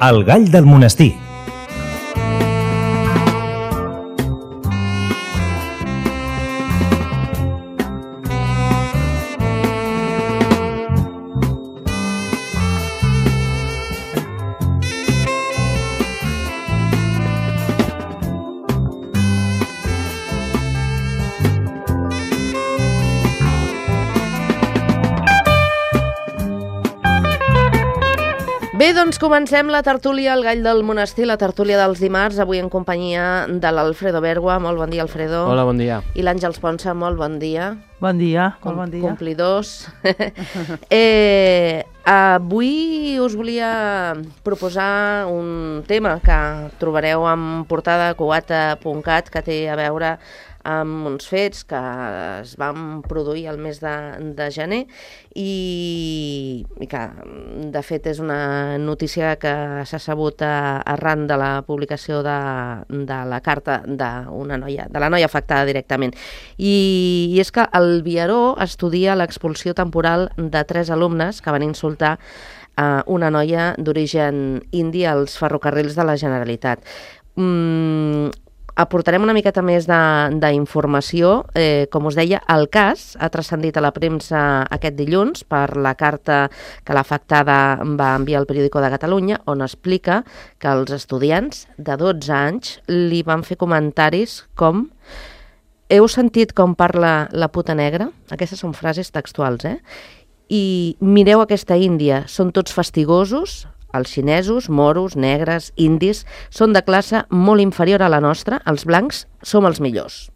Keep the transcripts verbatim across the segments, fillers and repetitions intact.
El gall del monestir. Bé, doncs comencem la tertúlia, el gall del monestir, la tertúlia dels dimarts, avui en companyia de l'Alfredo Bergua. Molt bon dia, Alfredo. Hola, bon dia. I l'Àngels Ponsa, molt bon dia. Bon dia, Com, molt bon dia. Complidors. eh, avui us volia proposar un tema que trobareu en portada a cubata punt cat, que té a veure amb uns fets que es van produir el mes de, de gener i, i que, de fet, és una notícia que s'ha sabut arran de la publicació de, de la carta d'una noia, de la noia afectada directament. I, i és que el Viaró estudia l'expulsió temporal de tres alumnes que van insultar a una noia d'origen indi als ferrocarrils de la Generalitat. Mm, Aportarem una miqueta més d'informació. Eh, com us deia, el cas ha transcendit a la premsa aquest dilluns per la carta que l'afectada va enviar al Periódico de Catalunya, on explica que els estudiants de dotze anys li van fer comentaris com: heu sentit com parla la puta negra? Aquestes són frases textuals, eh? I mireu aquesta índia, són tots fastigosos. Els xinesos, moros, negres, indis, són de classe molt inferior a la nostra, els blancs som els millors.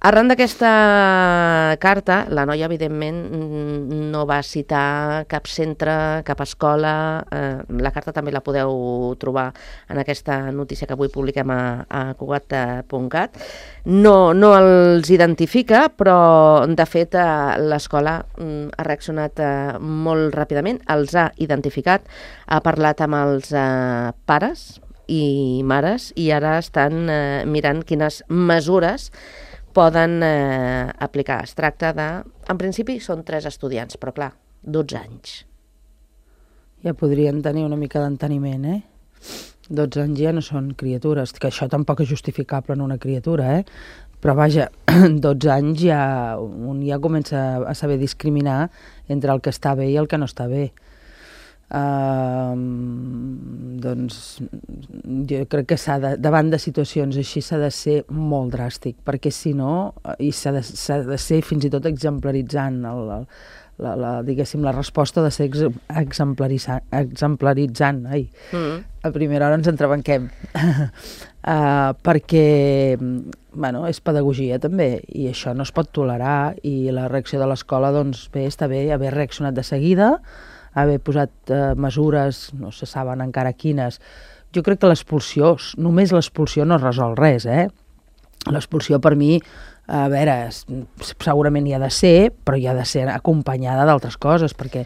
Arran d'aquesta carta, la noia, evidentment, no va citar cap centre, cap escola. Eh, la carta també la podeu trobar en aquesta notícia que avui publiquem a, a cubata punt cat. No, no els identifica, però, de fet, eh, l'escola ha reaccionat eh, molt ràpidament, els ha identificat, ha parlat amb els eh, pares i mares i ara estan eh, mirant quines mesures poden eh, aplicar. Es tracta de... En principi són tres estudiants, però clar, dotze anys. Ja podrien tenir una mica d'enteniment, eh? dotze anys ja no són criatures, que això tampoc és justificable en una criatura, eh? Però vaja, dotze anys ja un ja comença a saber discriminar entre el que està bé i el que no està bé. Uh, doncs jo crec que s'ha de, davant de situacions així s'ha de ser molt dràstic, perquè si no, i s'ha de, s'ha de ser fins i tot exemplaritzant el, el, la, la, diguéssim, la resposta de ser ex, exemplaritzant, exemplaritzant. Ai, mm. A primera hora ens entrebanquem. uh, perquè bueno, és pedagogia també, i això no es pot tolerar, i la reacció de l'escola, doncs bé, està bé haver reaccionat de seguida, haver posat eh, mesures, no se saben encara quines. Jo crec que l'expulsió, només l'expulsió no resol res, eh? L'expulsió per mi, a veure, segurament hi ha de ser, però hi ha de ser acompanyada d'altres coses, perquè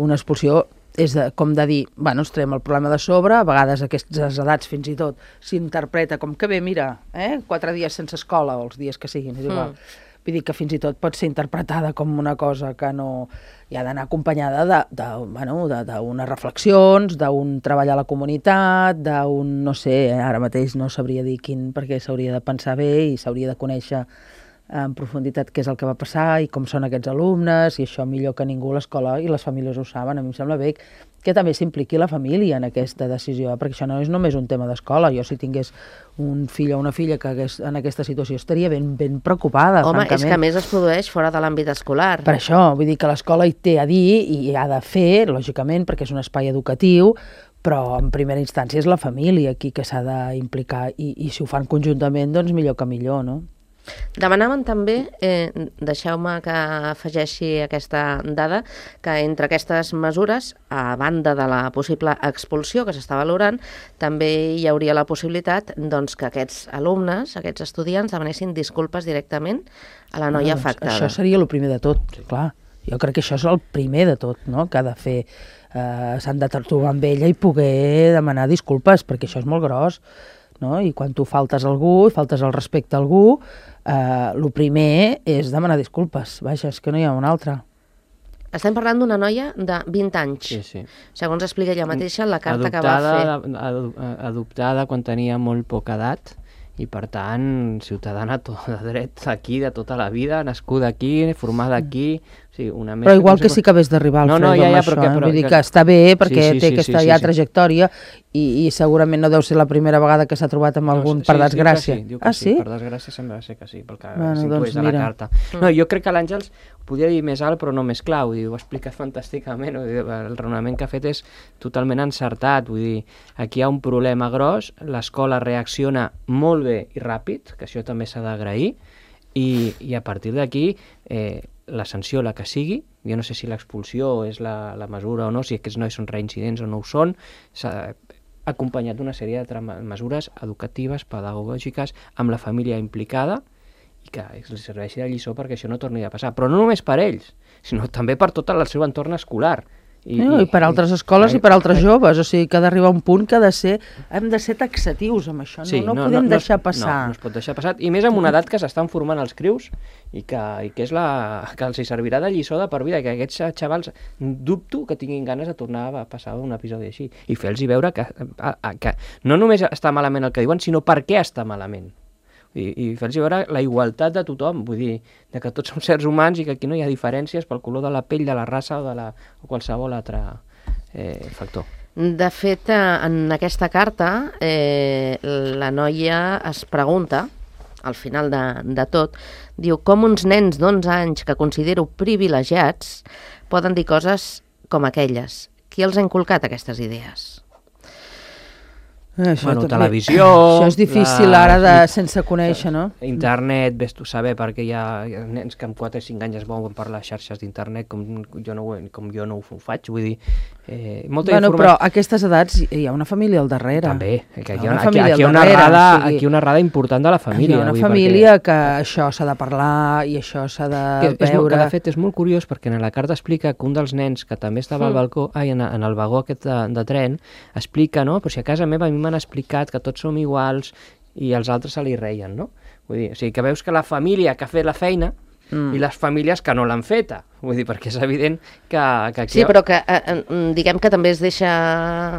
una expulsió és de, com de dir, bueno, ens traiem el problema de sobre, a vegades a aquestes edats fins i tot s'interpreta com que bé, mira, eh, quatre dies sense escola, o els dies que siguin, és igual. Mm. Vull dir que fins i tot pot ser interpretada com una cosa que no... hi ha d'anar acompanyada de, de, bueno, de, d'unes reflexions, d'un treball a la comunitat, d'un, no sé, ara mateix no sabria dir quin, perquè s'hauria de pensar bé i s'hauria de conèixer en profunditat què és el que va passar i com són aquests alumnes, i això millor que ningú l'escola i les famílies ho saben. A mi em sembla bé que també s'impliqui la família en aquesta decisió, perquè això no és només un tema d'escola. Jo, si tingués un fill o una filla que hagués en aquesta situació, estaria ben, ben preocupada. Home, francament. És que a més es produeix fora de l'àmbit escolar. Per això, vull dir que l'escola hi té a dir i ha de fer, lògicament, perquè és un espai educatiu, però en primera instància és la família aquí que s'ha d'implicar, i, i si ho fan conjuntament, doncs millor que millor, no? Demanaven també, eh, deixeu-me que afegeixi aquesta dada, que entre aquestes mesures, a banda de la possible expulsió que s'està valorant, també hi hauria la possibilitat doncs, que aquests alumnes, aquests estudiants, demanessin disculpes directament a la noia ah, doncs afectada. Això seria el primer de tot, clar. Jo crec que això és el primer de tot, no?, que ha de fer. Eh, s'han de trobar amb ella i poder demanar disculpes, perquè això és molt gros, no? I quan tu faltes a algú, faltes el respecte a algú, eh, el primer és demanar disculpes. Vaja, és que no hi ha un altre. Estem parlant d'una noia de vint anys. Sí, sí. Segons explica ella mateixa, la carta adoptada, que va fer. Ad, adoptada quan tenia molt poca edat, i per tant, ciutadana tot de dret aquí, de tota la vida, nascuda aquí, formada aquí... O sigui, una però igual que sí que hagués d'arribar al no, Fredo no, ja, ja, amb això, però que, eh? però, Vull dir que... que està bé perquè sí, sí, té sí, aquesta sí, ja sí. trajectòria i, i segurament no deu ser la primera vegada que s'ha trobat amb algun, no, per sí, desgràcia. Diu que sí, diu que ah, sí? sí? Per desgràcia sembla ser que sí, pel que bueno, s'intueix doncs, de la mira. carta. No, jo crec que l'Àngels ho podia dir més alt però no més clar, vull dir, ho ha explicat fantàsticament, vull dir, el raonament que ha fet és totalment encertat, vull dir, aquí hi ha un problema gros, l'escola reacciona molt bé i ràpid, que això també s'ha d'agrair, i, i a partir d'aquí eh, la sanció, la que sigui, jo no sé si l'expulsió és la, la mesura o no, si aquests nois són reincidents o no ho són, s'ha acompanyat d'una sèrie de mesures educatives, pedagògiques, amb la família implicada, i que els serveixi de lliçó perquè això no torni a passar. Però no només per ells, sinó també per tot el seu entorn escolar. I, no, i, i per altres escoles i, i per altres joves, o sigui que ha d'arribar un punt que ha de ser, hem de ser taxatius amb això, no, sí, no, no podem no, deixar no, passar. No, no es pot deixar passar, i més en una edat que s'estan formant els crius i que, i que és la que els servirà de lliçó de per vida, que aquests xavals dubto que tinguin ganes de tornar a passar un episodi així, i fer-los veure que, que no només està malament el que diuen, sinó per què està malament. I, i fer-los veure la igualtat de tothom, vull dir, de que tots som sers humans i que aquí no hi ha diferències pel color de la pell, de la raça o de la, o qualsevol altre eh, factor. De fet, en aquesta carta, eh, la noia es pregunta, al final de, de tot, diu, com uns nens d'onze anys que considero privilegiats poden dir coses com aquelles. Qui els ha inculcat aquestes idees? Eh, això bueno, també, televisió... Això és difícil la, ara de, sense conèixer, no? Internet, ves tu saber, perquè hi ha, hi ha nens que amb quatre o cinc anys es mouen per les xarxes d'internet com jo no, com jo no ho faig, vull dir... Eh, molta bueno, informació... però a aquestes edats hi ha una família al darrere. També, que hi ha, hi ha una aquí, família aquí, hi ha una darrere, errada, o sigui, aquí una errada important de la família. Hi ha una vull, família perquè... que això s'ha de parlar i això s'ha de que, és veure... Molt, que de fet és molt curiós perquè en la carta explica que un dels nens que també estava mm. al balcó, ai, en, en el vagó aquest de, de tren, explica, no? Però si a casa meva a mi m'han explicat que tots som iguals i els altres se li reien, no? Vull dir, o sigui, que veus que la família que ha fet la feina mm. i les famílies que no l'han feta. Vull dir, perquè és evident que... que aquí... Sí, però que eh, diguem que també es deixa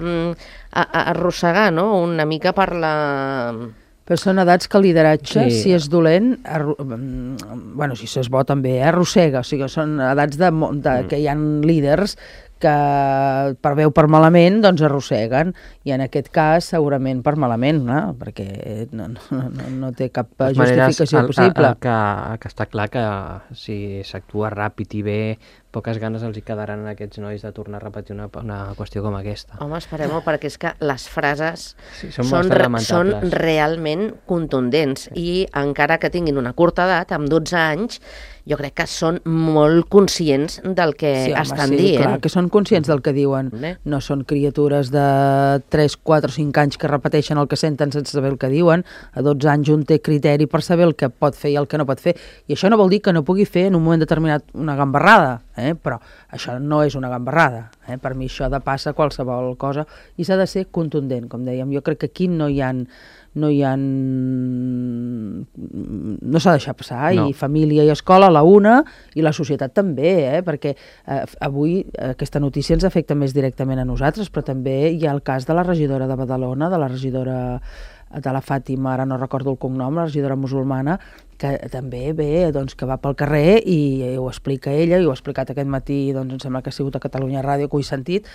mm, a, a arrossegar, no?, una mica per la... Però són edats que el lideratge, sí. si és dolent, arro... bueno, si és bo també, eh? arrossega. O sigui, són edats de, de, mm. que hi ha líders que per bé o per malament doncs arrosseguen, i en aquest cas segurament per malament, no? Perquè no, no, no, no té cap justificació maneres, possible. El, el, el que, que està clar que si s'actua ràpid i bé, poques ganes els hi quedaran a aquests nois de tornar a repetir una, una qüestió com aquesta. Home, esperem-ho, perquè és que les frases sí, són, són, re, són realment contundents, i encara que tinguin una curta edat, amb dotze anys, jo crec que són molt conscients del que sí, home, estan sí, dient. Clar, que són conscients del que diuen. Bé. No són criatures de tres, quatre o cinc anys que repeteixen el que senten sense saber el que diuen. A dotze anys un té criteri per saber el que pot fer i el que no pot fer. I això no vol dir que no pugui fer en un moment determinat una gambarrada, eh? Però això no és una gambarrada. Eh? Per mi això ha de passar qualsevol cosa i s'ha de ser contundent, com dèiem. Jo crec que aquí no hi ha... no hi ha... no s'ha de deixar passar, no. I família i escola a la una, i la societat també, eh? Perquè eh, avui aquesta notícia ens afecta més directament a nosaltres, però també hi ha el cas de la regidora de Badalona, de la regidora de la Fàtima, ara no recordo el cognom, la regidora musulmana, que també ve, doncs, que va pel carrer i, i ho explica ella, i ho ha explicat aquest matí, doncs em sembla que ha sigut a Catalunya Ràdio, que ho he sentit,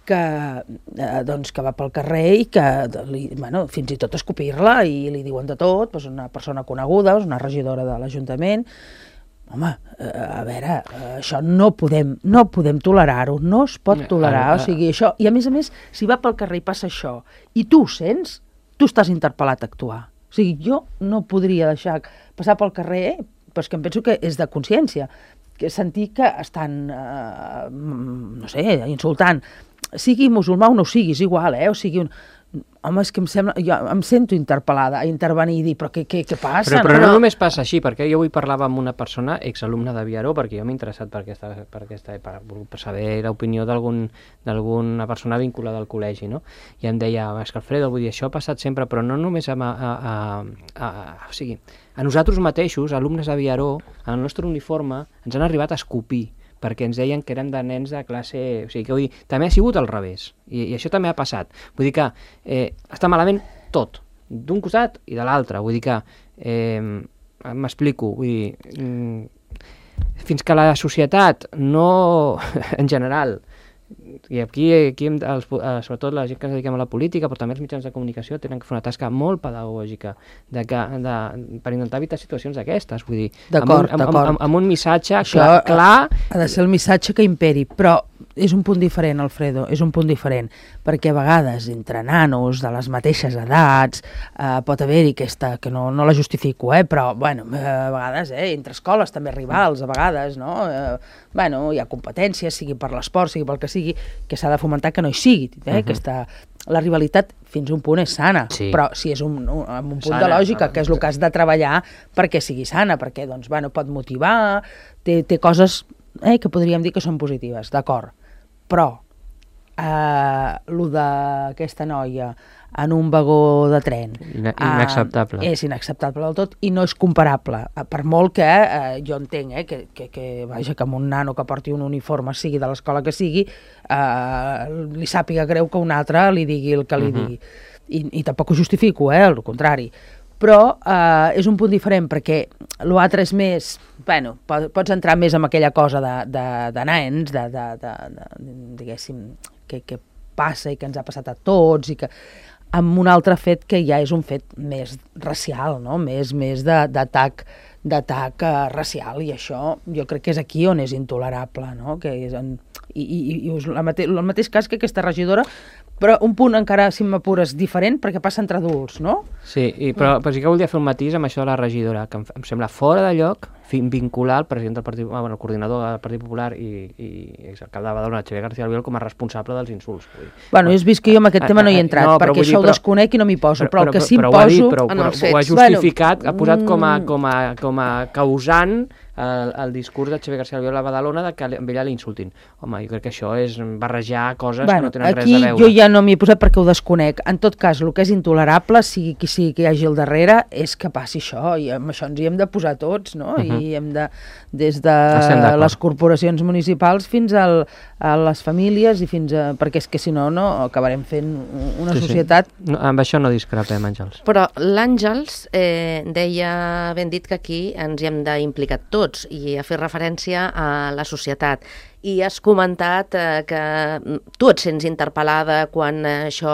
que, eh, doncs, que va pel carrer i que li, bueno, fins i tot escopir-la, i li diuen de tot, doncs una persona coneguda, una regidora de l'Ajuntament. Home, eh, a veure, eh, això no podem, no podem tolerar-ho, no es pot tolerar, o sigui, això, i a més a més, si va pel carrer i passa això, i tu ho sents, tu estàs interpel·lat a actuar. O sigui, jo no podria deixar passar pel carrer, però és que em penso que és de consciència, que sentir que estan, eh, no sé, insultant, sigui musulmà o no ho siguis, igual, eh? O sigui, un... home, és que em sembla, jo em sento interpel·lada a intervenir i dir, però què, què, què passa? Però, però no, no només passa així, perquè jo avui parlava amb una persona, exalumna de Viaró, perquè jo m'he interessat per aquesta, per aquesta, per, per saber l'opinió d'alguna persona vinculada al col·legi, no? I em deia, és que Alfredo, vull dir, això ha passat sempre, però no només a, a, a, a, o sigui, a nosaltres mateixos, alumnes de Viaró, en el nostre uniforme, ens han arribat a escopir perquè ens deien que érem de nens de classe... O sigui, que vull dir, també ha sigut al revés, i, i això també ha passat. Vull dir que eh, està malament tot, d'un costat i de l'altre. Vull dir que, eh, m'explico, vull dir, mm, fins que la societat no, en general, i aquí, aquí hem, els, sobretot la gent que ens dediquem a la política, però també els mitjans de comunicació tenen que fer una tasca molt pedagògica de que, de, per intentar evitar situacions d'aquestes, vull dir, amb un, amb, amb, amb, amb un missatge Això clar, clar... Ha de ser el missatge que imperi, però és un punt diferent, Alfredo, és un punt diferent, perquè a vegades entre nanos de les mateixes edats eh, pot haver-hi aquesta, que no, no la justifico, eh, però bueno, a vegades eh, entre escoles també rivals, a vegades, no? Eh, bueno, hi ha competències, sigui per l'esport, sigui pel que sigui, que s'ha de fomentar que no hi sigui, eh? Uh-huh. Aquesta, la rivalitat fins a un punt és sana, sí. Però si és un, un, amb un punt sana, de lògica, que és el que has de treballar perquè sigui sana, perquè doncs, bueno, pot motivar, té, té coses eh, que podríem dir que són positives, d'acord. Però eh, el d'aquesta noia en un vagó de tren Ina inacceptable. Eh, és inacceptable del tot i no és comparable, per molt que eh, jo entenc eh, que, que, que, vaja, que amb un nano que porti un uniforme, sigui de l'escola que sigui, eh, li sàpiga greu que un altre li digui el que li uh-huh. digui. I, I tampoc ho justifico, eh, al contrari. Però eh, és un punt diferent perquè l'altre és més, bueno, pots entrar més en aquella cosa de, de, de nens, de, de, de, de, diguéssim, que, que passa i que ens ha passat a tots, i que amb un altre fet que ja és un fet més racial, no? Més, més d'atac d'atac uh, racial, i això jo crec que és aquí on és intolerable, no? Que és en, i, i, i és el mateix, el mateix cas que aquesta regidora, però un punt encara, si m'apures, diferent, perquè passa entre adults, no? Sí, i, però, però sí que volia fer un matís amb això de la regidora, que em, em sembla fora de lloc vincular el president del Partit, bueno, el coordinador del Partit Popular i, i exalcalde de Badalona, Xavier García Albiol, com a responsable dels insults. Vull dir. Bueno, has vist que jo en aquest tema no hi he entrat, no, perquè això dir, però, ho desconec i no m'hi poso, però, però el que sí em però, poso... Ho ha, dit, però, però, però, ho ha justificat, bueno, ha posat com a, com a, com a causant el, el discurs de Xavier García Albiol a Badalona de que amb ella l'insultin. Home, jo crec que això és barrejar coses bueno, que no tenen res a veure. Aquí jo ja no m'hi he posat perquè ho desconec. En tot cas, el que és intolerable, sigui qui sigui que hi hagi al darrere, és que passi això, i amb això ens hi hem de posar tots, no? Uh-huh. I hem de, des de les corporacions municipals fins al, a les famílies, i fins a, perquè és que si no, no acabarem fent una sí, societat... Sí. No, amb això no discrepem, Àngels. Però l'Àngels eh, deia, ben dit, que aquí ens hi hem d'implicar tots, i ha fet referència a la societat. I has comentat eh, que tu et sents interpel·lada quan eh, això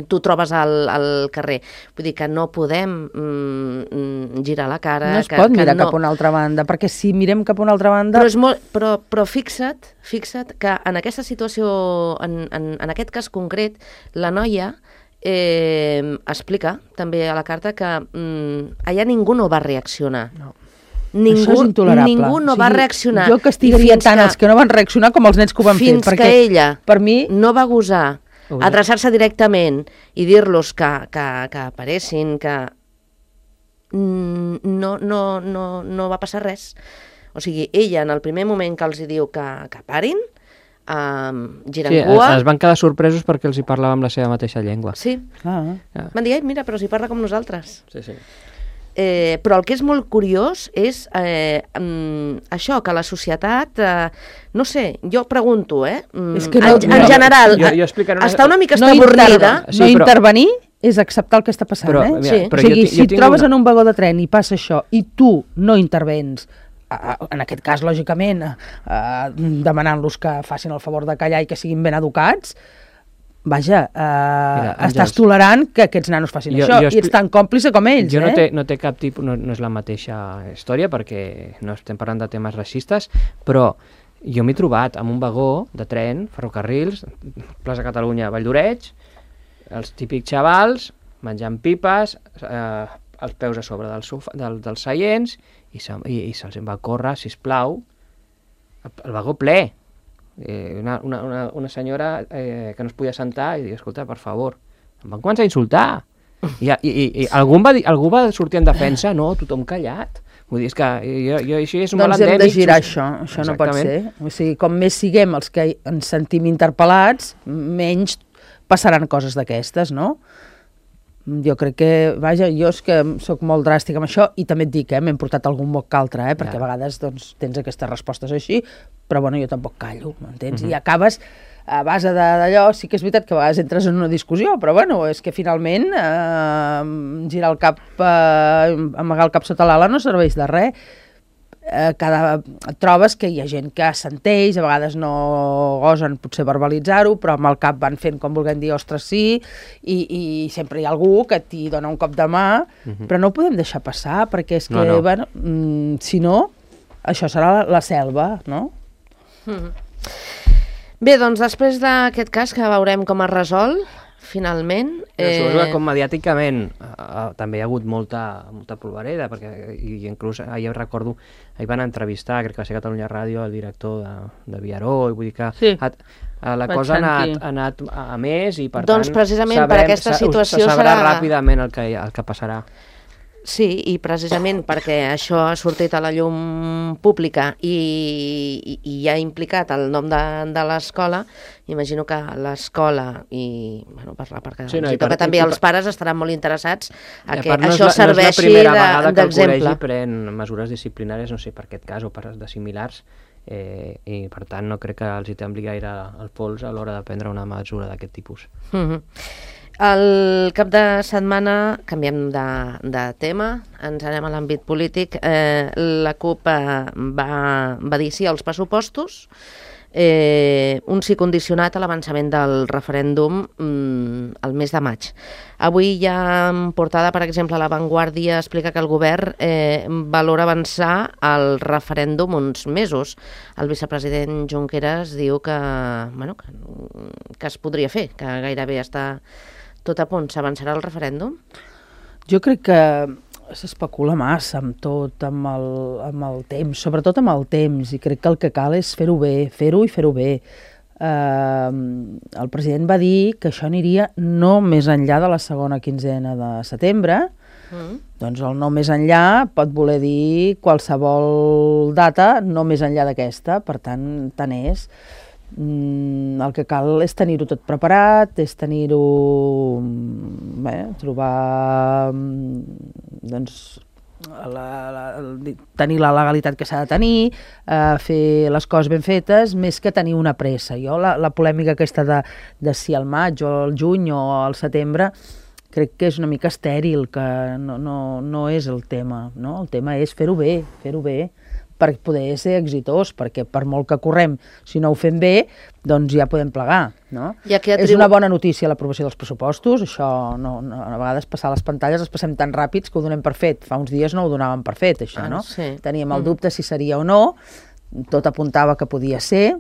tu trobes al, al carrer. Vull dir que no podem mm, girar la cara. No es que, pot que mirar no... cap a una altra banda, perquè si mirem cap a una altra banda... Però, és molt, però, però fixa't, fixa't que en aquesta situació, en, en, en aquest cas concret, la noia eh, explica també a la carta que mm, allà ningú no va reaccionar. No. Ningú, això és intolerable. Ningú no o sigui, va reaccionar. Jo castigaria tant que, els que no van reaccionar com els nens que ho van fins fer. Fins que ella per mi... no va gosar adreçar-se directament i dir-los que, que, que aparessin, que no, no, no, no va passar res. O sigui, ella en el primer moment que els diu que, que parin, um, giren sí, cua... es van quedar sorpresos perquè els hi parlava amb la seva mateixa llengua. Sí. Ah. Ah. Van dir, mira, però si parla com nosaltres. Sí, sí. Eh, però el que és molt curiós és eh, um, això, que la societat, eh, no sé, jo pregunto, eh, um, és que no, en, en general, jo, jo una... està una mica no avorrida. Sí, no però... intervenir és acceptar el que està passant, però, eh? mira, sí. però o sigui, jo, si jo et trobes una... en un vagó de tren i passa això i tu no intervens, en aquest cas, lògicament, eh, demanant-los que facin el favor de callar i que siguin ben educats, vaja, eh, Mira, estàs tolerant que aquests nanos facin jo, això jo i ets tan còmplice com ells. Jo eh? no, té, no té cap tipus, no, no és la mateixa història perquè no estem parlant de temes racistes, però jo m'he trobat amb un vagó de tren, ferrocarrils, plaça Catalunya, Valldoreix, els típics xavals menjant pipes, eh, els peus a sobre del sofa, del, dels seients, i, se, i, i se'ls va córrer, sisplau, el, el vagó ple. Eh, una, una, una, una senyora eh, que no es podia sentar i diu, escolta, per favor, em van començar a insultar. I, i, i, i algú, va dir, algú va sortir en defensa, no, tothom callat. Vull dir, és que jo, jo, això és un doncs mal endèmic. Doncs hem de girar això, això no pot ser. O sigui, com més siguem els que ens sentim interpel·lats, menys passaran coses d'aquestes, no? jo crec que, vaja, jo és que sóc molt dràstic amb això i també et dic, eh, m'hem portat algun moc que altre, eh, perquè ja. a vegades doncs, tens aquestes respostes així, però bueno, jo tampoc callo, m'entens? Uh-huh. I acabes a base d'allò, sí que és veritat que a vegades entres en una discussió, però bueno, és que finalment eh, girar el cap, eh, amagar el cap sota l'ala no serveix de res. Eh, cada, et trobes que hi ha gent que assenteix, a vegades no gosen potser verbalitzar-ho, però amb el cap van fent com vulguem dir, ostres, sí, i, i sempre hi ha algú que t'hi dona un cop de mà, uh-huh. però no ho podem deixar passar, perquè és que, no, no. bueno, mm, si no, això serà la, la selva, no? Uh-huh. Bé, doncs després d'aquest cas que veurem com es resol, finalment... Eh... Suposo que com mediàticament eh, també hi ha hagut molta, molta polvareda, perquè i inclús ahir recordo, ahir van entrevistar, crec que va ser Catalunya Ràdio, el director de, de Viaró, i vull dir que sí. ha, la Vaig cosa ha anat, ha anat a més i per doncs tant... precisament sabrem, per aquesta situació se sabrà serà... ràpidament el que, el que passarà. Sí, i precisament perquè això ha sortit a la llum pública i, i, i ha implicat el nom de, de l'escola, imagino que l'escola i, bueno, per la part que sí, no, per, també i, els pares estaran molt interessats a que això no serveixi d'exemple. No és la primera vegada que el col·legi pren mesures disciplinàries, no sé per aquest cas o per de similars, eh, i per tant no crec que els hi tembli gaire el pols a l'hora de prendre una mesura d'aquest tipus. Mhm. El cap de setmana, canviem de, de tema, ens anem a l'àmbit polític. Eh, la CUP eh, va, va dir sí als pressupostos, eh, un sí condicionat a l'avançament del referèndum mm, el mes de maig. Avui hi ha en portada, per exemple, La Vanguardia explica que el govern eh, valora avançar el referèndum uns mesos. El vicepresident Junqueras diu que, bueno, que, que es podria fer, que gairebé està tot a punt. S'avançarà el referèndum? Jo crec que s'especula massa amb tot, amb el, amb el temps, sobretot amb el temps, i crec que el que cal és fer-ho bé, fer-ho i fer-ho bé. Eh, el president va dir que això aniria no més enllà de la segona quinzena de setembre, mm. doncs el no més enllà pot voler dir qualsevol data, no més enllà d'aquesta, per tant, tant és. Mm, el que cal és tenir-ho tot preparat, és tenir-ho, bé, trobar, doncs, la, la, tenir la legalitat que s'ha de tenir, eh, fer les coses ben fetes, més que tenir una pressa. Jo la, la polèmica aquesta de, de si al maig o al juny o al setembre crec que és una mica estèril, que no, no, no és el tema, no? El tema és fer-ho bé, fer-ho bé, per poder ser exitós, perquè per molt que correm, si no ho fem bé, doncs ja podem plegar, no? Atribu... És una bona notícia l'aprovació dels pressupostos, això no, no, a vegades passar les pantalles els passem tan ràpids que ho donem per fet. Fa uns dies no ho donàvem per fet, això, ah, no? Sí. Teníem el dubte si seria o no, tot apuntava que podia ser.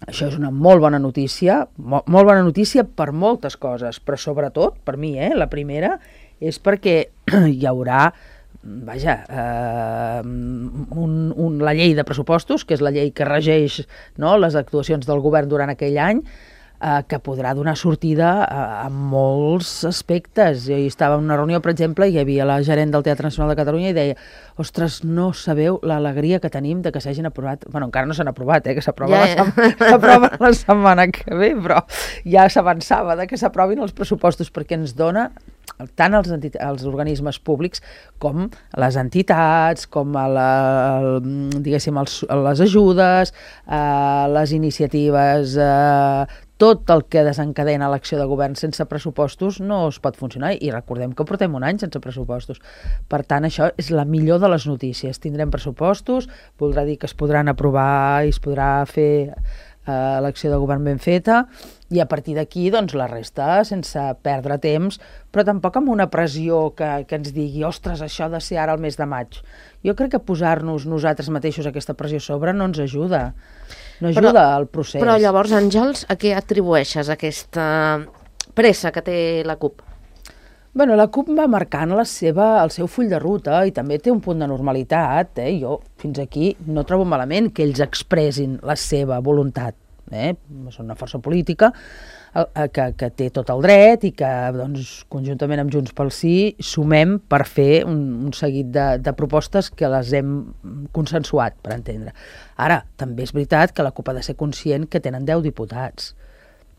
Això és una molt bona notícia, molt, molt bona notícia per moltes coses, però sobretot, per mi, eh, la primera, és perquè hi haurà vaja, eh, un, un, la llei de pressupostos, que és la llei que regeix, no, les actuacions del govern durant aquell any, eh, que podrà donar sortida a, a molts aspectes. Jo hi estava en una reunió, per exemple, i hi havia la gerent del Teatre Nacional de Catalunya i deia, ostres, no sabeu l'alegria que tenim de que s'hagin aprovat, bueno, encara no s'han aprovat, eh, que s'aprova ja, ja. la, la setmana que ve, però ja s'avançava de que s'aprovin els pressupostos, perquè ens dona tant els, els organismes públics com les entitats, com a la, el, diguéssim, els, les ajudes, eh, les iniciatives, eh, tot el que desencadena l'acció de govern sense pressupostos no es pot funcionar, i recordem que portem un any sense pressupostos. Per tant, això és la millor de les notícies. Tindrem pressupostos, voldrà dir que es podran aprovar i es podrà fer eh, l'acció de govern ben feta, i a partir d'aquí, doncs, la resta, sense perdre temps, però tampoc amb una pressió que, que ens digui, ostres, això ha de ser ara el mes de maig. Jo crec que posar-nos nosaltres mateixos aquesta pressió a sobre no ens ajuda, no ajuda però, al procés. Però llavors, Àngels, a què atribueixes aquesta pressa que té la CUP? Bueno, la CUP va marcant la seva, el seu full de ruta i també té un punt de normalitat. Eh? Jo, fins aquí, no trobo malament que ells expressin la seva voluntat. Eh? Són una força política que, que té tot el dret i que, doncs, conjuntament amb Junts pel Sí, sumem per fer un, un seguit de, de propostes que les hem consensuat, per entendre. Ara, també és veritat que la CUP ha de ser conscient que tenen deu diputats.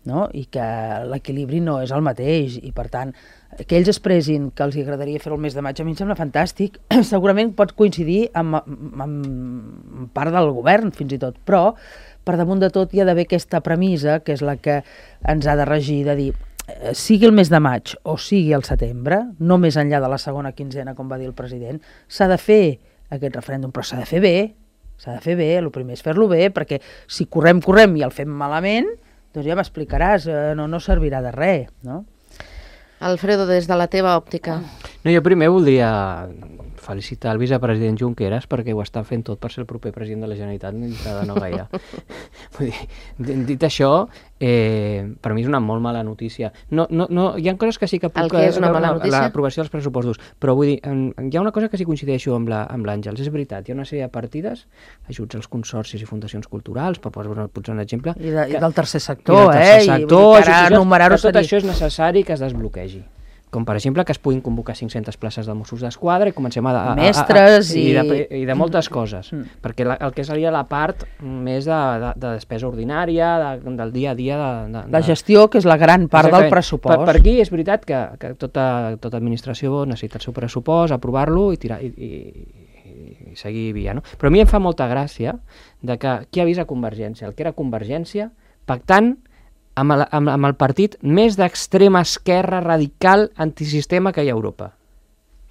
no? I que l'equilibri no és el mateix, i per tant, que ells expressin que els agradaria fer el mes de maig, a mi em sembla fantàstic. Segurament pot coincidir amb, amb, amb part del govern, fins i tot, però per damunt de tot hi ha d'haver aquesta premissa, que és la que ens ha de regir, de dir, sigui el mes de maig o sigui el setembre, no més enllà de la segona quinzena, com va dir el president, s'ha de fer aquest referèndum, però s'ha de fer bé, s'ha de fer bé, el primer és fer-lo bé, perquè si correm, correm i el fem malament, doncs ja m'explicaràs, no, no servirà de res, no? Alfredo, des de la teva òptica. No, jo primer voldria felicitar el vicepresident Junqueras perquè ho està fent tot per ser el proper president de la Generalitat i s'ha de no gaire. Vull dir, dit això, eh, per mi és una molt mala notícia. No, no, no, hi ha coses que sí que puc... El que és una mala notícia? L'aprovació dels pressupostos. Però vull dir, hi ha una cosa que sí coincideixo amb l'Àngels. És veritat, hi ha una sèrie de partides, ajuts als consorcis i fundacions culturals, per posar un exemple... I, de, que, i del tercer sector, i del tercer eh? sector, I ara enumerar-ho tot seria... això és necessari que es desbloquegi. Com per exemple que es puguin convocar cinc-centes places de Mossos d'Esquadra i comencem a... a, a mestres a, a, i... I de, i de moltes coses, mm. perquè la, el que seria la part més de, de, de despesa ordinària, de, del dia a dia... De, de, la gestió, que és la gran part exactament. Del pressupost. Per, per aquí és veritat que, que tota, tota administració necessita el seu pressupost, aprovar-lo i tirar... I, i, i seguir via, no? Però a mi em fa molta gràcia de que qui ha vist a Convergència, el que era Convergència, pactant amb el, amb, amb el partit més d'extrema esquerra radical antisistema que hi ha a Europa.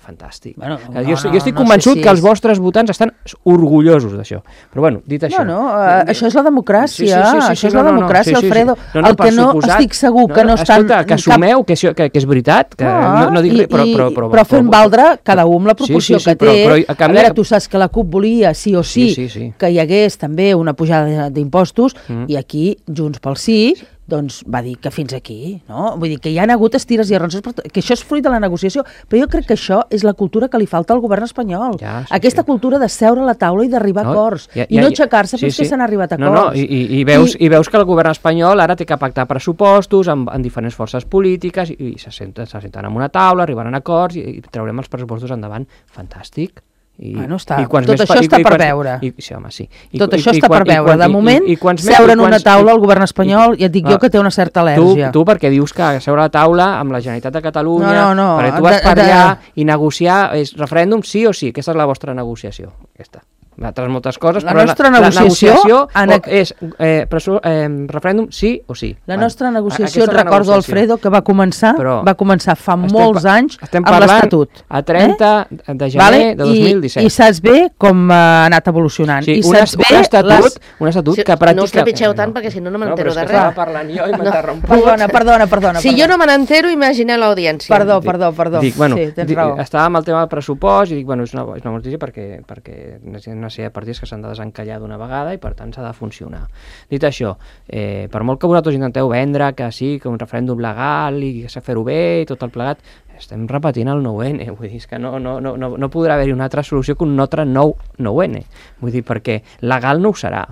Fantàstic. Bueno, no, jo, jo estic no convençut sé si que és... els vostres votants estan orgullosos d'això. Però bueno, dit això... No, no, uh, això és la democràcia, sí, sí, sí, sí, això és la no, democràcia, no, sí, sí, Alfredo. Sí, sí. No, no, el que no suposat, estic segur no, que no estan... Escolta, que assumeu que, que, que és veritat, que ah, no, no dic res, però... Però, però, però fent valdre cada un la proporció sí, sí, sí, que té. Però, però, a, canvi... a veure, tu saps que la CUP volia, sí o sí, sí, sí, sí. que hi hagués també una pujada d'impostos, mm. i aquí, Junts pel Sí, doncs va dir que fins aquí, no? Vull dir que hi ha hagut estires i arronses, que això és fruit de la negociació, però jo crec que això és la cultura que li falta al govern espanyol. Ja, sí, aquesta sí. cultura de seure a la taula i d'arribar no, a acords, ja, ja, i no aixecar-se sí, fins sí. que s'han arribat a acords. No, no, i, i, i, veus, I... i veus que el govern espanyol ara té que pactar pressupostos amb, amb diferents forces polítiques i, i se senten, se senten en una taula, arribaran a acords i, i traurem els pressupostos endavant. Fantàstic. I, bueno, està, i tot això i, està i, per i, veure. I, sí, home, sí. I, tot i, això i, està i, per veure. De moment, i, i, i seure en una quants, taula i, el govern espanyol, i, i et dic ah, jo que té una certa al·lèrgia. Tu, tu perquè dius que seure a la taula amb la Generalitat de Catalunya, no, no, no, perquè tu vas de, per allà de... i negociar, és referèndum sí o sí, aquesta és la vostra negociació. Aquesta. Altres moltes coses, la però nostra la, negociació, la negociació en... és eh, preso, eh, referèndum sí o sí. La nostra negociació, et recordo, negociació. Alfredo, que va començar però va començar fa estem, molts anys estem amb l'Estatut. A trenta eh? de gener vale? de dos mil disset. I, I saps bé com ha anat evolucionant. Sí, I un, saps un, bé estatut, les... un estatut sí, que pràcticament... No us trepitgeu tant, no. perquè si no no m'entero no, de res. No, parlant jo i m'he no. interromput. Perdona, perdona, perdona. Si perdona. jo no me n'entero, imagina l'audiència. Perdó, perdó, perdó. Dic, bueno, sí, tens dic, raó. Estava amb el tema del pressupost i dic, bueno, és una, és una notícia perquè, perquè hi ha una sèrie de partits que s'han de desencallar d'una vegada i per tant s'ha de funcionar. Dit això, eh, per molt que vosaltres intenteu vendre que sí, que un referèndum legal i que s'ha de fer-ho bé i tot el plegat, estem repetint el nou ene, vull dir, és que no, no, no, no, no podrà haver-hi una altra solució que un altre nou nou ene, vull dir, perquè legal no ho serà,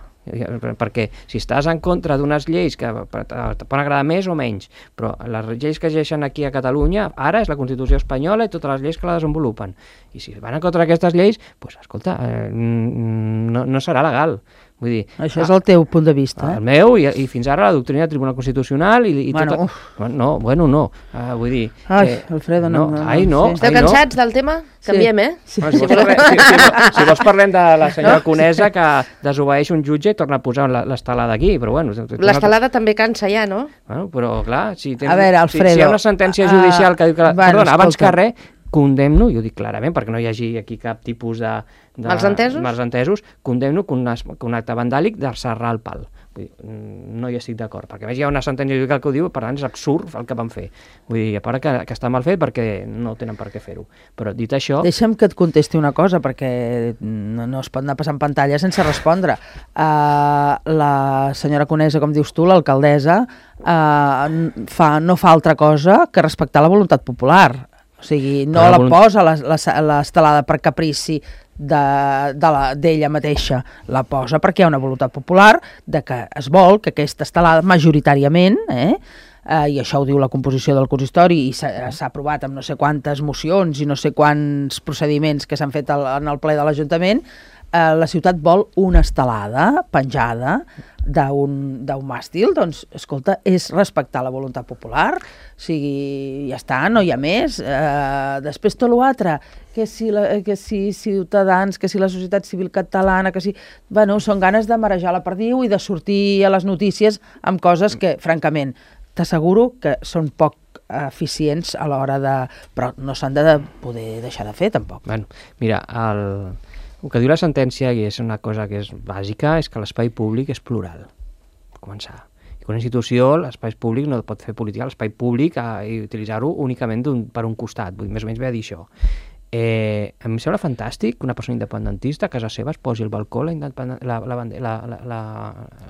perquè si estàs en contra d'unes lleis que te poden agradar més o menys, però les lleis que llegeixen aquí a Catalunya ara és la Constitució espanyola i totes les lleis que la desenvolupen, i si van en contra d'aquestes lleis, doncs escolta, eh, no, no serà legal. Vull dir, això és el teu punt de vista, eh? El meu, i, i fins ara la doctrina del Tribunal Constitucional i, i bueno, tota... Bueno, no, bueno, no, uh, vull dir... Ai, eh, Alfredo, no... no, no ai, no, sí. Esteu ai, cansats no. del tema? Canviem, eh? Sí. Bueno, si, vols parlem, si, si, si, si vols parlem de la senyora no? Conesa que desobeeix un jutge i torna a posar l'estelada aquí, però bueno... L'estelada també cansa ja, no? Bueno, però clar, si, tens, a veure, Alfredo, si, si hi ha una sentència judicial que diu que... La, bueno, perdona, abans escolta. que res, condemno, i ho dic clarament perquè no hi hagi aquí cap tipus de... de malsentesos? Malsentesos, condemno que un, que un acte vandàlic de serrar el pal. Vull dir, no hi estic d'acord, perquè a més hi ha una sentència judicial que ho diu, per tant és absurd el que van fer. Vull dir, a part que, que està mal fet perquè no tenen per què fer-ho. Però dit això... Deixa'm que et contesti una cosa, perquè no, no es pot anar passant pantalla sense respondre. Uh, la senyora Conesa, com dius tu, l'alcaldessa, uh, fa, no fa altra cosa que respectar la voluntat popular. O sigui, no la, la posa l'estelada per caprici d'ella de, de mateixa, la posa perquè hi ha una voluntat popular de que es vol que aquesta estelada majoritàriament, eh, eh, i això ho diu la composició del consistori i s'ha aprovat amb no sé quantes mocions i no sé quants procediments que s'han fet al, en el ple de l'Ajuntament, eh, la ciutat vol una estelada penjada d'un màstil, doncs, escolta, és respectar la voluntat popular, o sigui, ja està, no hi ha més. Eh, després tot l'altre, que si, la, que si Ciutadans, que si la societat civil catalana, que si... Bueno, són ganes de marejar la perdiu i de sortir a les notícies amb coses que, francament, t'asseguro que són poc eficients a l'hora de... Però no s'han de poder deixar de fer, tampoc. Bueno, mira, el... el que diu la sentència, i és una cosa que és bàsica, és que l'espai públic és plural, per començar. I que una institució, l'espai públic, no pot fer política a l'espai públic eh, i utilitzar-ho únicament un, per un costat, vull dir, més o menys ve a dir això. Eh, a mi em sembla fantàstic que una persona independentista a casa seva es posi al balcó la, la, la, la, la,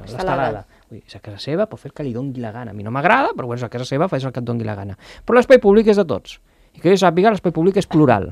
l'estelada. Vull dir, és a casa seva, pot fer el que li doni la gana. A mi no m'agrada, però bueno, és a casa seva, fes el que et doni la gana. Però l'espai públic és de tots. I que jo sàpiga, l'espai públic és plural.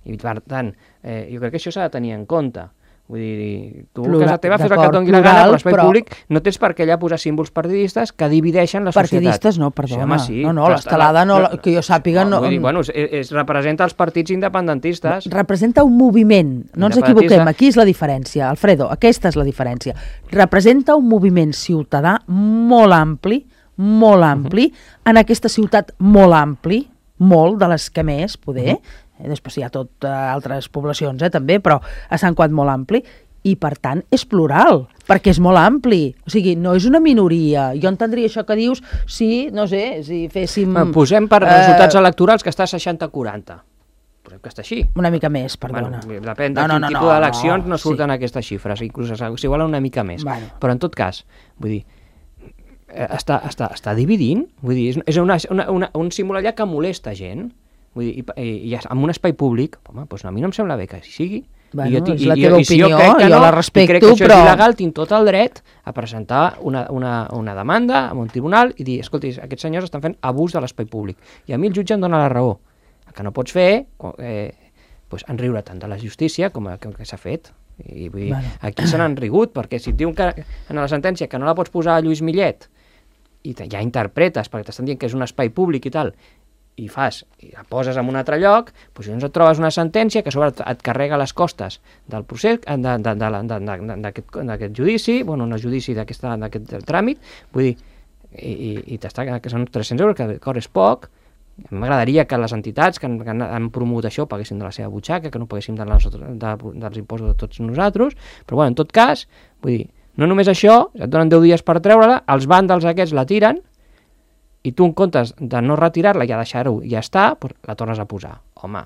I per tant, eh, jo crec que això s'ha de tenir en compte. Vull dir, tu a casa teva fes el que et doni la gana, però l'espai però... públic no tens per què allà posar símbols partidistes que divideixen la societat. Partidistes no, perdona. Sí, home, sí. No, no, l'estelada, no, no, que jo sàpiga... No, vull dir, bueno, es, es representa els partits independentistes. Representa un moviment, no ens equivoquem, aquí és la diferència, Alfredo, aquesta és la diferència. Representa un moviment ciutadà molt ampli, molt ampli, uh -huh. en aquesta ciutat molt ampli, molt de les que més, poder... Uh -huh. Després hi ha tot eh, altres poblacions, eh, també, però a Sant Cugat molt ampli, i per tant és plural, perquè és molt ampli, o sigui, no és una minoria. Jo entendria això que dius si, no sé, si féssim... Bueno, posem per eh, resultats electorals que està seixanta a quaranta. Posem que està així. Una mica més, perdona. Bueno, depèn de no, quin no, no, tipus no, d'eleccions no, no surten sí. aquestes xifres, inclús s'igualen una mica més. Bueno. Però en tot cas, vull dir, està, està, està dividint, vull dir, és, és una, una, una, un símbol allà que molesta gent. Vull dir, i, i, i en un espai públic, home, doncs a mi no em sembla bé que sigui. Bueno, I jo, és la i, teva i, opinió, i si jo, crec que jo no, la respecto, crec que això però... és il·legal, tinc tot el dret a presentar una, una, una demanda a un tribunal i dir, escolti, aquests senyors estan fent abús de l'espai públic. I a mi el jutge em dona la raó. El que no pots fer, eh, doncs, enriure tant de la justícia com, com que s'ha fet. I, vull dir, bueno. Aquí se n'han rigut, perquè si et diuen que en la sentència que no la pots posar a Lluís Millet i te, ja interpretes, perquè t'estan dient que és un espai públic i tal, i fas, i la poses en un altre lloc, doncs llavors et trobes una sentència que a sobre et carrega les costes del procés, d'aquest judici, bueno, no judici, d'aquest tràmit, vull dir, i, i, i t'està, que són tres-cents euros, que d'acord és poc. M'agradaria que les entitats que han, que han promogut això paguessin de la seva butxaca, que no paguessin de les, de, dels impostos de tots nosaltres, però bueno, en tot cas, vull dir, no només això, et donen deu dies per treure-la, els vàndals aquests la tiren, i tu en comptes de no retirar-la i ja deixar-ho i ja està, doncs la tornes a posar. Home.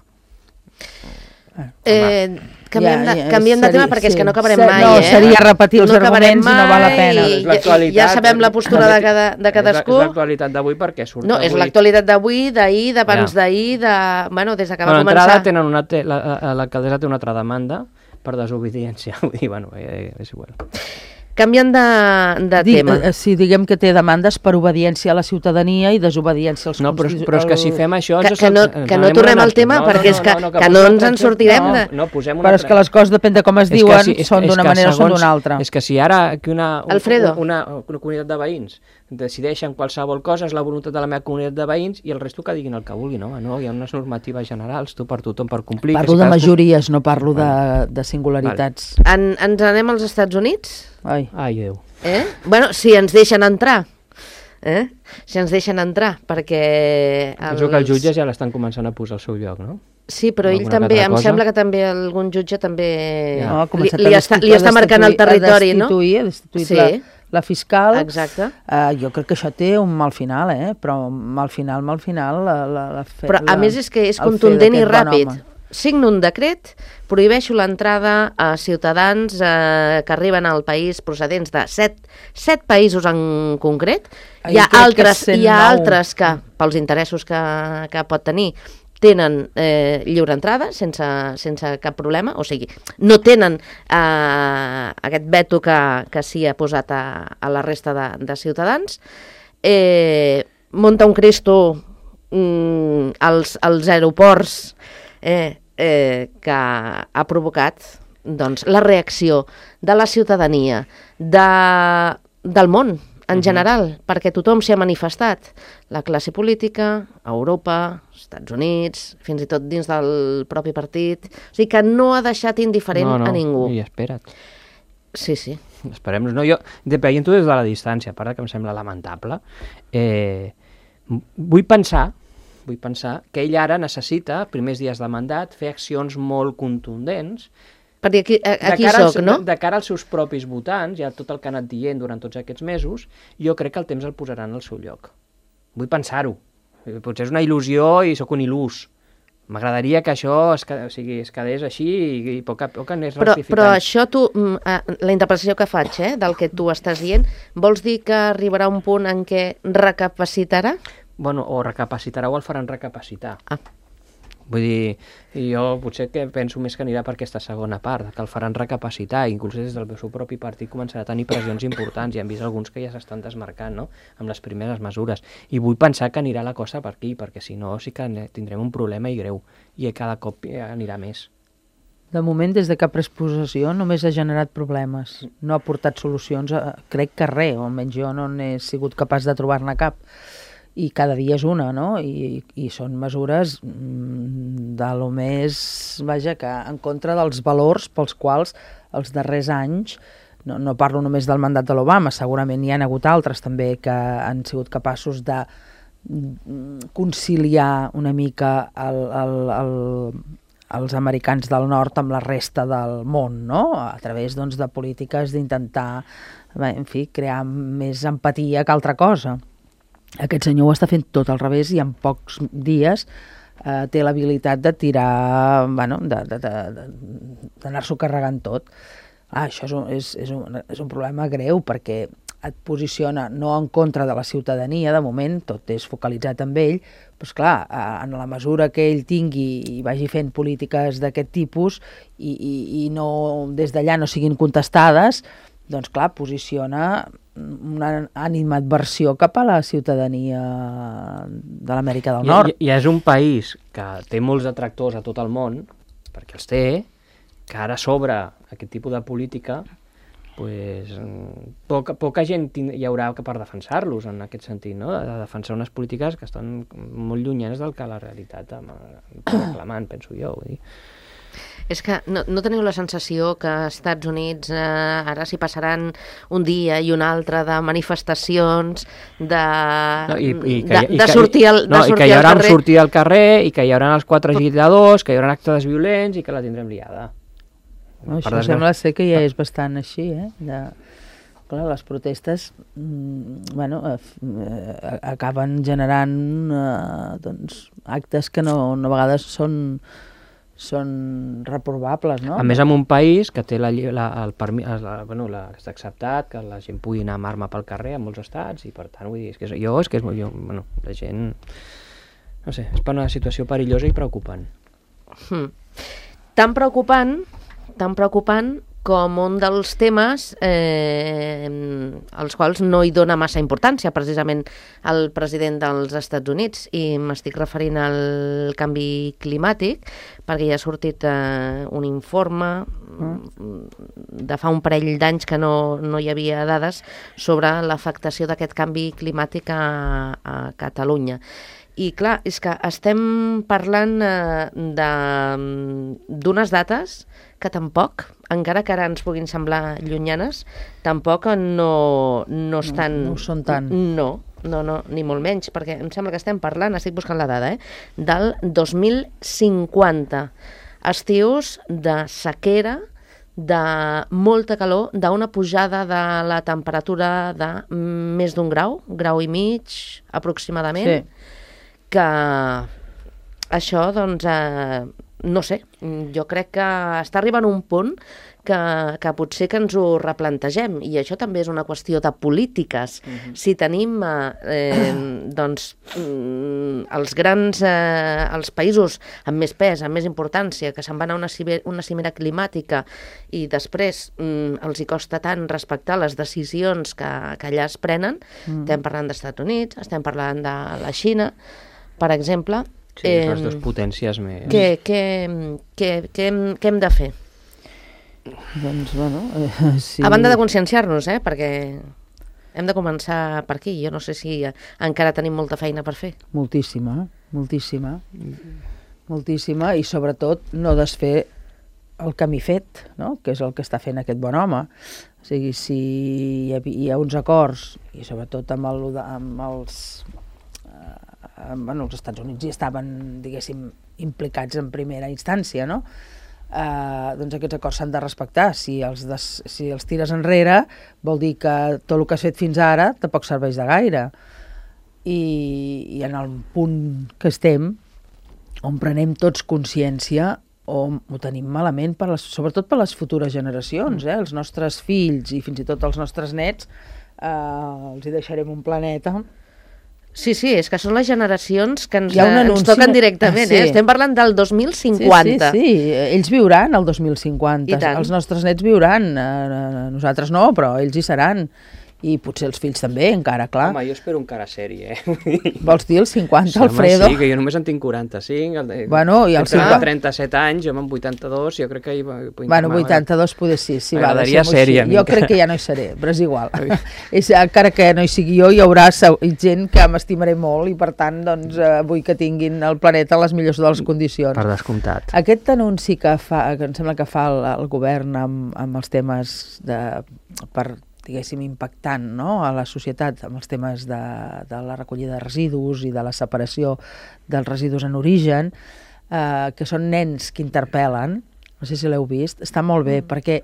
Eh, canviem de, canviem de tema perquè sí. és que no acabarem sí, mai. No, eh? seria repetir els no arguments i no val la pena. I, i ja sabem la postura de, cada, de cadascú. És l'actualitat d'avui perquè surt No, avui. és l'actualitat d'avui, d'ahir, d'abans ja. d'ahir, de... bueno, des que va bueno, començar. Tenen una te... L'alcaldessa té una altra demanda per desobediència. Vull dir, bueno, eh, és igual. Canviant de, de Dic, tema. Eh, sí, diguem que té demandes per obediència a la ciutadania i desobediència als... No, però, però és que si fem això... Que, que no, que no tornem al tema, no, perquè no, no, és que, no, no, que, que no ens en sortirem. No, de... no, posem una però és que les coses, depèn de com es diuen, si, és, són d'una manera o són d'una altra. És que si ara que una, un, Alfredo. una, una comunitat de veïns decideixen qualsevol cosa, és la voluntat de la meva comunitat de veïns i el resto que diguin el que vulguin, no? No, hi ha unes normatives generals, tu per tothom per complir... Parlo de majories, no parlo de, de singularitats. Vale. En, ens anem als Estats Units? Ai, Ai Déu. Eh? Bueno, si ens deixen entrar, eh? si ens deixen entrar, perquè... Els... Penso que els jutges ja l'estan començant a posar al seu lloc, no? Sí, però ell també, em cosa? sembla que també algun jutge també ja. no, li, li, està, li està marcant el territori, no? Ha destituït sí. la, la fiscal. Exacte. Uh, jo crec que això té un mal final, eh? Però mal final, mal final... La, la, la fe, però a la, més és que és contundent i ràpid. Bon signo un decret, prohibeixo l'entrada a ciutadans eh, que arriben al país procedents de set, set països en concret. Hi ha, altres, hi ha altres que, pels interessos que, que pot tenir, tenen eh, lliure entrada sense, sense cap problema, o sigui, no tenen eh, aquest veto que, que s'hi ha posat a, a la resta de, de ciutadans. Eh, munta un Cristo mm, als, als aeroports eh, eh, que ha provocat doncs, la reacció de la ciutadania, de, del món, en general, perquè tothom s'hi ha manifestat. La classe política, Europa, Estats Units, fins i tot dins del propi partit. O sigui que no ha deixat indiferent no, no, a ningú. I espera't. Sí, sí. Esperem-nos. No, jo, veient-ho des de la distància, a part que em sembla lamentable, eh, vull pensar vull pensar que ell ara necessita, primers dies de mandat, fer accions molt contundents perquè aquí, aquí de soc, no? De, de cara als seus propis votants, ja tot el que ha anat dient durant tots aquests mesos, jo crec que el temps el posaran al seu lloc. Vull pensar-ho. Potser és una il·lusió i sóc un il·lús. M'agradaria que això es, o sigui, es quedés així i, i poc a poc anés però, rectificant. però això tu, la interpretació que faig eh, del que tu estàs dient, vols dir que arribarà un punt en què recapacitarà? Bueno, o recapacitarà o el faran recapacitar. Ah. Vull dir, jo potser que penso més que anirà per aquesta segona part, que el faran recapacitar, inclús des del seu propi partit començarà a tenir pressions importants, i hem vist alguns que ja s'estan desmarcant, no?, amb les primeres mesures. I vull pensar que anirà la cosa per aquí, perquè si no sí que tindrem un problema i greu, i cada cop anirà més. De moment, des de que ha pres possessió, només ha generat problemes. No ha portat solucions, crec que res, o almenys jo no n'he sigut capaç de trobar-ne cap. I cada dia és una, no? I, i són mesures de lo més, vaja, que en contra dels valors pels quals els darrers anys, no, no parlo només del mandat de l'Obama, segurament hi ha hagut altres també que han sigut capaços de conciliar una mica el, el, el, els americans del nord amb la resta del món, no? A través, doncs, de polítiques d'intentar, en fi, crear més empatia que altra cosa. Aquest senyor ho està fent tot al revés i en pocs dies eh, té l'habilitat de tirar, bueno, d'anar-s'ho carregant tot. Ah, això és un, és, és, un, és un problema greu perquè et posiciona no en contra de la ciutadania, de moment tot és focalitzat en ell, però esclar, en la mesura que ell tingui i vagi fent polítiques d'aquest tipus i, i, i no, des d'allà no siguin contestades, doncs clar, posiciona una animadversió cap a la ciutadania de l'Amèrica del Nord. I, i, I és un país que té molts detractors a tot el món, perquè els té, que ara sobre aquest tipus de política, pues, poca, poca gent hi haurà per defensar-los en aquest sentit, no? De defensar unes polítiques que estan molt llunyanes del que la realitat reclamant, penso jo. Vull dir. És que no, no teniu la sensació que als Estats Units eh, ara s'hi passaran un dia i un altre de manifestacions, de, no, i, i que, de, i de que, sortir al, no, de sortir i que hi haurà al carrer? sortir al carrer i que hi haurà els quatre agitadors, que hi haurà actes violents i que la tindrem liada. No, això desgràcia... sembla ser que ja és bastant així, eh? De... Clar, les protestes mm, bueno, eh, acaben generant eh, doncs, actes que no, no a vegades són són reprovables, no? A més, en un país que té la, la, el permís, la, bueno, la, està acceptat que la gent pugui anar amb arma pel carrer en molts estats, i per tant, vull dir, és que és, jo és que és molt, jo, bueno, la gent, no sé, és per una situació perillosa i preocupant. Hmm. Tan preocupant, tan preocupant com un dels temes eh, als quals no hi dona massa importància, precisament el president dels Estats Units, i m'estic referint al canvi climàtic, perquè ja ha sortit eh, un informe de fa un parell d'anys que no, no hi havia dades sobre l'afectació d'aquest canvi climàtic a, a Catalunya. I clar, és que estem parlant eh, d'unes dates que tampoc, encara que ara ens puguin semblar llunyanes, tampoc no, no estan... No, no ho són tant. No, no, no, ni molt menys, perquè em sembla que estem parlant, estic buscant la dada, eh, del dos mil cinquanta. Estius de sequera, de molta calor, d'una pujada de la temperatura de més d'un grau, grau i mig, aproximadament, sí. Que això, doncs, eh, no sé, jo crec que està arribant un punt que, que potser que ens ho replantegem, i això també és una qüestió de polítiques. Uh-huh. Si tenim eh, doncs, els grans, eh, els països amb més pes, amb més importància, que se'n van a una, ciber, una cimera climàtica i després mm, els hi costa tant respectar les decisions que, que allà es prenen, uh-huh. Estem parlant dels Estats Units, estem parlant de la Xina, per exemple. Sí, eh, les dues potències més... Què, què, què, què, hem, què hem de fer? Doncs, bueno... Eh, sí. A banda de conscienciar-nos, eh, perquè... Hem de començar per aquí. Jo no sé si encara tenim molta feina per fer. Moltíssima, moltíssima. Moltíssima, i sobretot no desfer el camí fet, no? Que és el que està fent aquest bon home. O sigui, si hi ha, hi ha uns acords, i sobretot amb, el, amb els... Eh, bueno, els Estats Units hi estaven, diguéssim, implicats en primera instància, no? Eh, doncs aquests acords s'han de respectar. Si els, des, si els tires enrere, vol dir que tot el que has fet fins ara tampoc serveix de gaire. I, i en el punt que estem, on prenem tots consciència, o ho tenim malament, per les, sobretot per les futures generacions, eh? Els nostres fills i fins i tot els nostres nets, eh, els hi deixarem un planeta. Sí, sí, és que són les generacions que ens, anunci... ens toquen directament, sí. eh? Estem parlant del dos mil cinquanta. Sí, sí, sí, ells viuran el dos mil cinquanta, els nostres nets viuran, eh, nosaltres no, però ells hi seran. I potser els fills també, encara, clar. Home, jo espero encara sèrie, eh? Vols dir els cinquanta, sí, Alfredo? Sí, que jo només en tinc quaranta-cinc. El, bueno, i els cinquanta... trenta-set anys, jo amb vuitanta-dos, jo crec que... Hi, bueno, vuitanta-dos poder sí, sí, va, deixem-ho sèrie, jo crec que ja no hi seré, però és igual. és, encara que no hi sigui jo, hi haurà gent que m'estimaré molt i, per tant, doncs, eh, vull que tinguin el planeta en les millors de les condicions. Per descomptat. Aquest anunci que fa, que em sembla que fa el, el govern amb, amb els temes de... per diguéssim, impactant, no?, a la societat amb els temes de, de la recollida de residus i de la separació dels residus en origen, eh, que són nens que interpel·len, no sé si l'heu vist, està molt bé, mm. perquè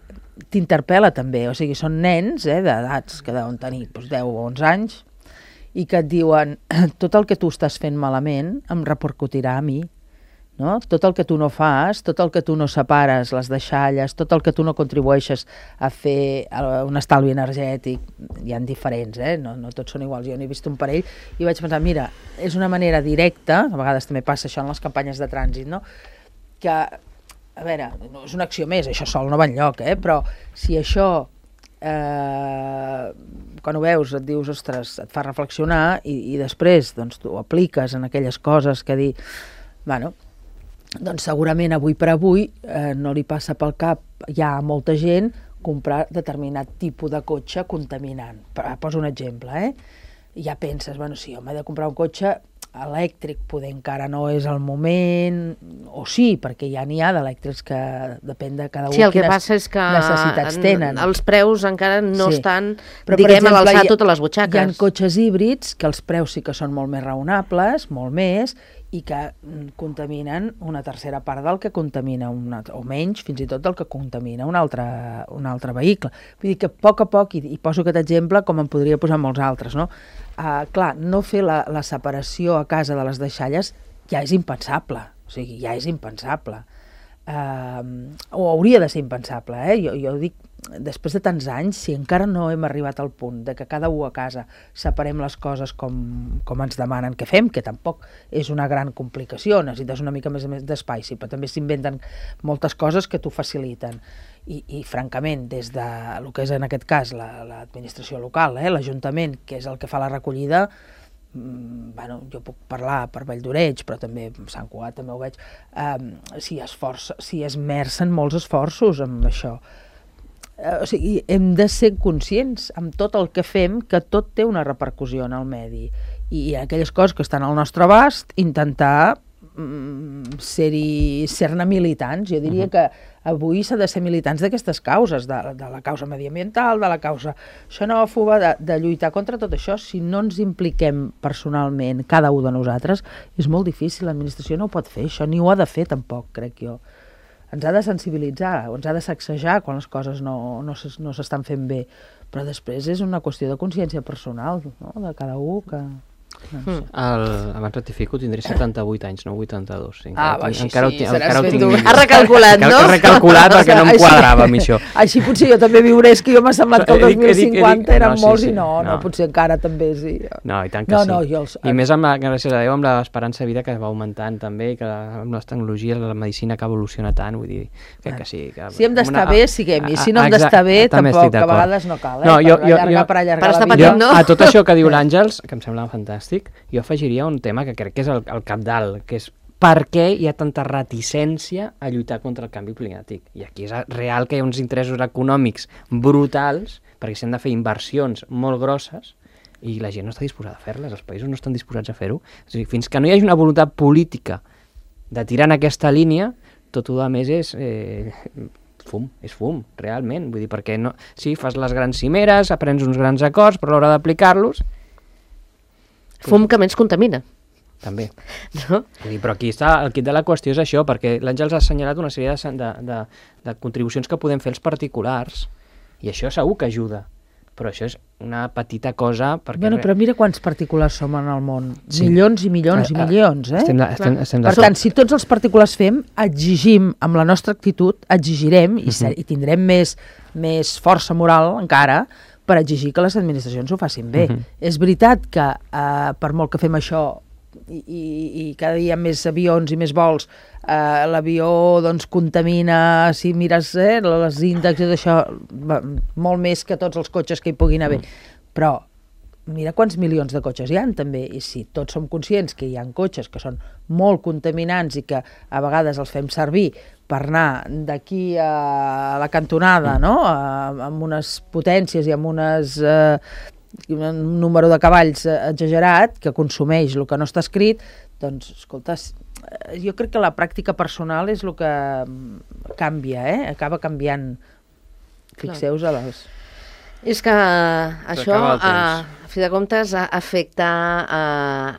t'interpel·la també, o sigui, són nens eh, d'edats que deuen tenir doncs, deu o onze anys, i que et diuen, tot el que tu estàs fent malament em repercutirà a mi. No? Tot el que tu no fas, tot el que tu no separes, les deixalles, tot el que tu no contribueixes a fer un estalvi energètic, hi ha diferents, eh? no, no tots són iguals, jo n'he vist un parell i vaig pensar, mira, és una manera directa, a vegades també passa això en les campanyes de trànsit, no? Que, a veure, no és una acció més, això sol no va enlloc, eh? Però si això, eh, quan ho veus et dius, ostres, et fa reflexionar i, i després doncs, tu ho apliques en aquelles coses que dir, bueno, doncs segurament avui per avui eh, no li passa pel cap ja a molta gent comprar determinat tipus de cotxe contaminant. Poso un exemple, eh? I ja penses, bueno, sí, home, he de comprar un cotxe elèctric, poder encara no és el moment, o sí, perquè ja n'hi ha d'elèctrics que depèn de cada un sí, el que quines passa és que necessitats en, tenen. Els preus encara no sí. estan, però, diguem, exemple, a l'alçar totes les butxaques. Hi ha cotxes híbrids que els preus sí que són molt més raonables, molt més, i que contaminen una tercera part del que contamina, una, o menys, fins i tot del que contamina un altre, un altre vehicle. Vull dir que a poc a poc, i, i poso aquest exemple com en podria posar molts altres, no? Uh, clar, no fer la, la separació a casa de les deixalles ja és impensable, o sigui, ja és impensable. Uh, o hauria de ser impensable, eh? Jo, jo dic, després de tants anys, si encara no hem arribat al punt de que cada u a casa separem les coses com, com ens demanen que fem, que tampoc és una gran complicació, necessites una mica més, més d'espai, sí, però també s'inventen moltes coses que t'ho faciliten. I, i francament, des de el que és en aquest cas l'administració la, local, eh, l'Ajuntament, que és el que fa la recollida, mm, bueno, jo puc parlar per Vall d'Oreig, però també Sant Cugat també ho veig, um, s'hi esforça, s'hi esmercen molts esforços amb això. O sigui, hem de ser conscients amb tot el que fem que tot té una repercussió en el medi i aquelles coses que estan al nostre abast intentar mm, ser-hi ser-ne militants. Jo diria uh-huh. que avui s'ha de ser militants d'aquestes causes, de, de la causa mediambiental, de la causa xenòfoba, de, de lluitar contra tot això. Si no ens impliquem personalment, cada un de nosaltres, és molt difícil, l'administració no ho pot fer, això ni ho ha de fer tampoc, crec jo. Ens ha de sensibilitzar, o ens ha de sacsejar quan les coses no, no, no s'estan fent bé, però després és una qüestió de consciència personal, no?, de cada un que... No sé. El, abans rectifico, tindré setanta-vuit anys, no vuitanta-dos. Sí, ah, va, així encara sí, ho, encara ho tinc millor. Has recalculat, no? He recalculat perquè no em quadrava amb això. Així potser jo també viuré, és que jo m'ha semblat que el dos mil cinquanta eren no, sí, molts sí, i no, no, no, potser encara també sí. No, i tant que no, sí. No, jo els... I més amb la, gràcies a Déu, amb l'esperança de vida que va augmentant també, que amb les tecnologies la medicina que evoluciona tant, vull dir, que, que sí. Que si hem d'estar bé, siguem-hi. Si no hem d'estar bé, tampoc, a vegades no cal, eh? No, jo, per allargar, per allargar per la vida. Jo, a tot això que diu l'Àngels, que em sembla fantàstic, jo afegiria un tema que crec que és el, el cabdal, que és per què hi ha tanta reticència a lluitar contra el canvi climàtic. I aquí és real que hi ha uns interessos econòmics brutals perquè s'han de fer inversions molt grosses i la gent no està disposada a fer-les, els països no estan disposats a fer-ho. O sigui, fins que no hi hagi una voluntat política de tirar en aquesta línia, tot el més és eh, fum, és fum, realment. Vull dir, perquè no, sí, fas les grans cimeres, aprens uns grans acords, però a l'hora d'aplicar-los... Fum que menys contamina. També. No? Vull dir, però aquí està, el quid de la qüestió és això, perquè l'Àngels ha assenyalat una sèrie de, de, de, de contribucions que podem fer els particulars, i això segur que ajuda. Però això és una petita cosa... Perquè... Bueno, però mira quants particulars som en el món. Sí. Milions i milions i milions, eh? Estem, estem, estem per tant, si tots els particulars fem, exigim, amb la nostra actitud, exigirem, i, ser, i tindrem més, més força moral encara, per exigir que les administracions ho facin bé. Uh-huh. És veritat que, eh, per molt que fem això, i, i, i cada dia més avions i més vols, eh, l'avió doncs, contamina, si mires eh, les índexs d'això, molt més que tots els cotxes que hi puguin haver. Mm. Però mira quants milions de cotxes hi ha també, i si tots som conscients que hi ha cotxes que són molt contaminants i que a vegades els fem servir per anar d'aquí a la cantonada, no? A, amb unes potències i amb unes... Eh, un número de cavalls exagerat que consumeix el que no està escrit, doncs, escolta, jo crec que la pràctica personal és el que canvia, eh? Acaba canviant. Fixeu-vos a les... És que això, a, a fi de comptes, afecta, a,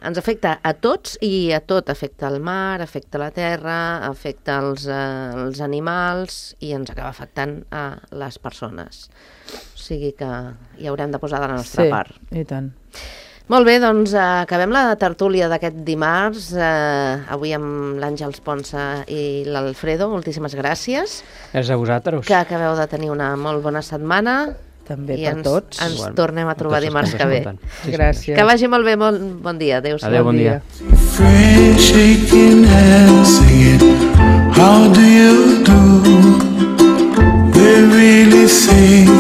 ens afecta a tots i a tot. Afecta el mar, afecta la terra, afecta els, els animals i ens acaba afectant a les persones. O sigui que hi haurem de posar de la nostra sí, part. I tant. Molt bé, doncs eh, acabem la tertúlia d'aquest dimarts, eh, avui amb l'Àngels Ponsa i l'Alfredo. Moltíssimes gràcies. Gràcies a vosaltres. Que acabeu de tenir una molt bona setmana. També I per ens, tots. ens Bueno, tornem a trobar dimarts que ve. Sí, gràcies. Que vagi molt bé, molt bon dia. Adéu-siau. Adéu, bon dia. Friends shaking hands, singing, how do you do? They really think